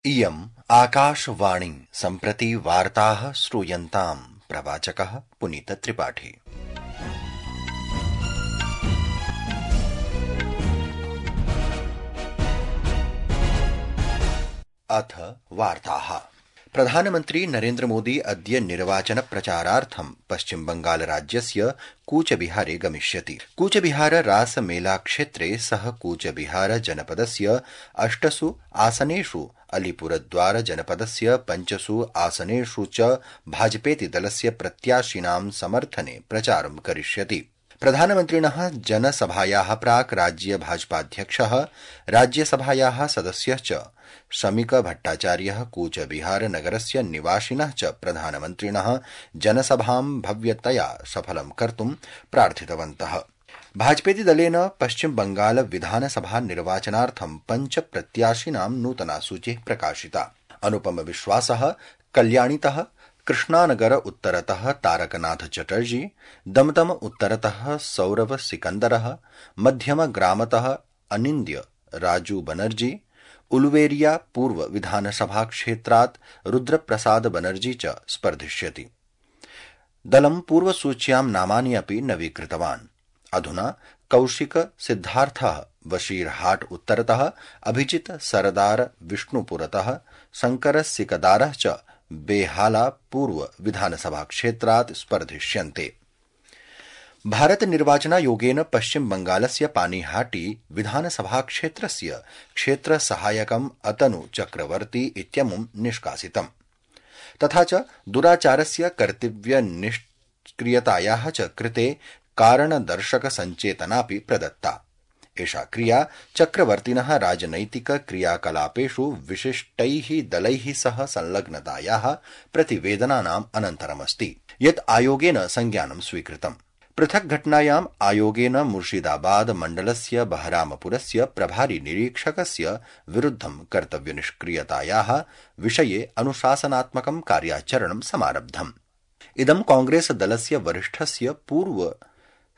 इयम् आकाशवाणी सम्प्रति वार्ताः श्रूयन्ताम् प्रवाचकः पुनीतत्रिपाठी। अथ वार्ताः। प्रधानमन्त्री नरेन्द्र मोदी अद्य निर्वाचन प्रचारार्थं पश्चिम बंगाल राज्यस्य कूचबिहारे गमिष्यति। कूचबिहार रासमेला क्षेत्रे सः कूचबिहार जनपदस्य 8 आसनेषु अलीपुरद्वार जनपदस्य 5 आसनेषु च भाजपेति दलस्य प्रत्याशिनां समर्थने प्रचारं करिष्यति। प्रधानमन्त्रिणः जनसभायाः प्राक् राज्य भाजपाध्यक्षः राज्यसभायाः सदस्यः च शमिक भट्टाचार्यः कूचबिहार नगरस्य निवासिनः च प्रधानमन्त्रिणः जनसभां भव्यतया सफलं कर्तुं प्रार्थितवन्तः। भाजपेति दलेन पश्चिम बंगाल विधानसभा निर्वाचनार्थं 5 प्रत्याशिनां नूतना सूचिः प्रकाशिता। अनुपम विश्वासः कल्याणितः, कृष्णानगर उत्तरतः तारकनाथ चटर्जी, दमदम उत्तरतः सौरभ सिकंदरः, मध्यम ग्रामतः अनिन्द्य राजू बनर्जी, उलुवेरिया पूर्व विधानसभा क्षेत्रात् रुद्रप्रसाद बनर्जी च स्पर्धिष्यति। दलं पूर्वसूच्यां नामानि अपि नवीकृतवान्। अधुना कौशिक सिद्धार्थः बशीरहाट उत्तरतः, अभिजित सरदार विष्णुपुरतः, शंकर सिकदारः च बेहाला पूर्व विधानसभा क्षेत्रात् स्पर्धिष्यन्ते। भारत निर्वाचनायोगेन पश्चिम बंगालस्य पानीहाटी विधानसभा क्षेत्रस्य क्षेत्र सहायकम् अतनु चक्रवर्ती इत्यमुं निष्कासितम्। तथा च दुराचारस्य कर्तव्य निष्क्रियतायाः च कृते कारणदर्शक संचेतनापि प्रदत्ता। एषा क्रिया चक्रवर्तिनः राजनैतिक क्रियाकलापेषु विशिष्टैः दलैः सह संलग्नतायाः प्रतिवेदनानाम् अनन्तरमस्ति, यत् आयोगेन संज्ञानं स्वीकृतम्। पृथक् घटनायाम् आयोगेन मुर्शिदाबाद मण्डलस्य बहरामपुरस्य प्रभारी निरीक्षकस्य विरुद्धं कर्तव्यनिष्क्रियतायाः विषये अनुशासनात्मकं कार्याचरणं समारब्धम्। इदं कांग्रेस दलस्य वरिष्ठस्य पूर्व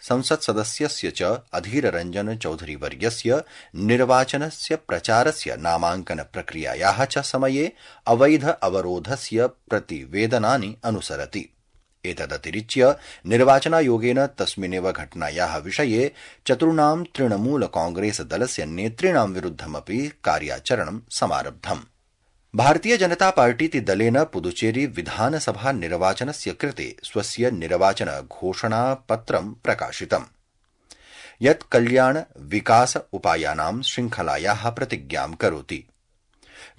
संसत्सदस्यस्य च अधीर रंजन चौधरी वर्यस्य निर्वाचनस्य प्रचारस्य नामांकन प्रक्रियायाः च समये अवैध अवरोधस्य प्रतिवेदनानि अनुसरति। एतदतिरिच्य निर्वाचनायोगेन तस्मिन्नेव घटनायाः विषये 4 तृणमूल कांग्रेस दलस्य नेतॄणां विरुद्धमपि कार्याचरणं समारब्धम्। भारतीय जनता पार्टीति दलेन पुदुचेरी विधानसभा निर्वाचनस्य कृते स्वस्य निर्वाचन घोषणा पत्रं प्रकाशितम्, यत् कल्याण विकास उपायानां श्रृंखलायाः प्रतिज्ञां करोति।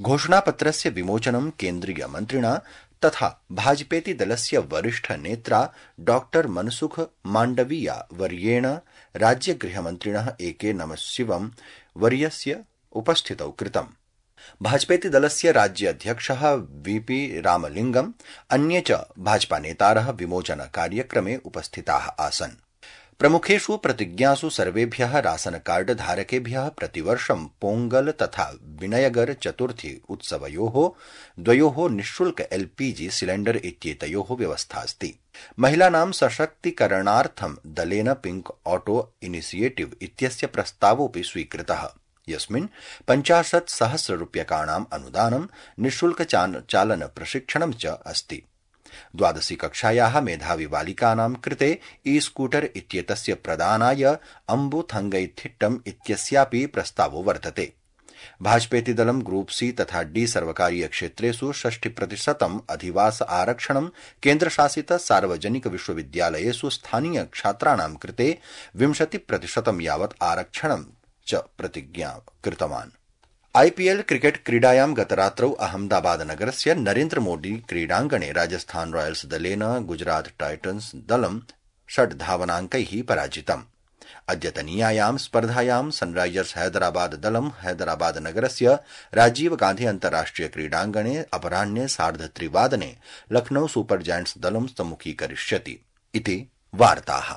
घोषणापत्रस्य विमोचनं केन्द्रीय मन्त्रिणा तथा भाजपेति दलस्य वरिष्ठ नेत्रा डॉक्टर मनसुख मांडविया वर्येण राज्य गृहमन्त्रिणः एके नमशिवम वर्यस्य उपस्थितौ कृतम्। भाजपेति दलस्य राज्य अध्यक्षः वीपी रामलिंगम, अन्ये च भाजपा नेतारः विमोचन कार्यक्रमे उपस्थिताः आसन्। प्रमुखेषु प्रतिज्ञासु सर्वेभ्यः राशन कार्ड धारकेभ्यः प्रतिवर्षं पोंगल तथा विनयगर चतुर्थी उत्सवयोः 2 निःशुल्क एलपीजी सिलेंडर इत्येतयोः व्यवस्थास्ति। महिलानां सशक्तीकरणार्थं दलेन पिंक ऑटो इनिशिएटिव इत्यस्य प्रस्तावोऽपि स्वीकृतः, यस्मिन् 50,000 रूप्यकाणाम् अनुदानं निःशुल्क चालन प्रशिक्षणं च अस्ति। 12वी कक्षायाः मेधावी बालिकानां कृते ई-स्कूटर इत्येतस्य प्रदानाय अम्बुथंगैथिट्टम् इत्यस्यापि प्रस्तावो वर्तते। भाजपेति दलं ग्रुप सी तथा डी सर्वकारीय क्षेत्रेषु 60% अधिवास आरक्षणं, केन्द्रशासित सार्वजनिक विश्वविद्यालयेषु स्थानीय छात्राणां कृते 20% यावत् आरक्षणं च प्रतिज्ञा कृतवान्। आईपीएल क्रिकेट क्रीडायां गतरात्रौ अहमदाबाद नगरस्य नरेन्द्र मोदी क्रीडाङ्गणे राजस्थान रॉयल्स दलेन गुजरात टाइटन्स दलं 6 धावनाङ्कैः पराजितम्। अद्यतनीयायां स्पर्धायां सनराइजर्स हैदराबाद दलं हैदराबाद नगरस्य राजीव गांधी अन्ताराष्ट्रिय क्रीडाङ्गणे अपराह्ने 3:30 वादने लखनऊ सुपर जायंट्स दलं सम्मुखीकरिष्यति। इति वार्ताः।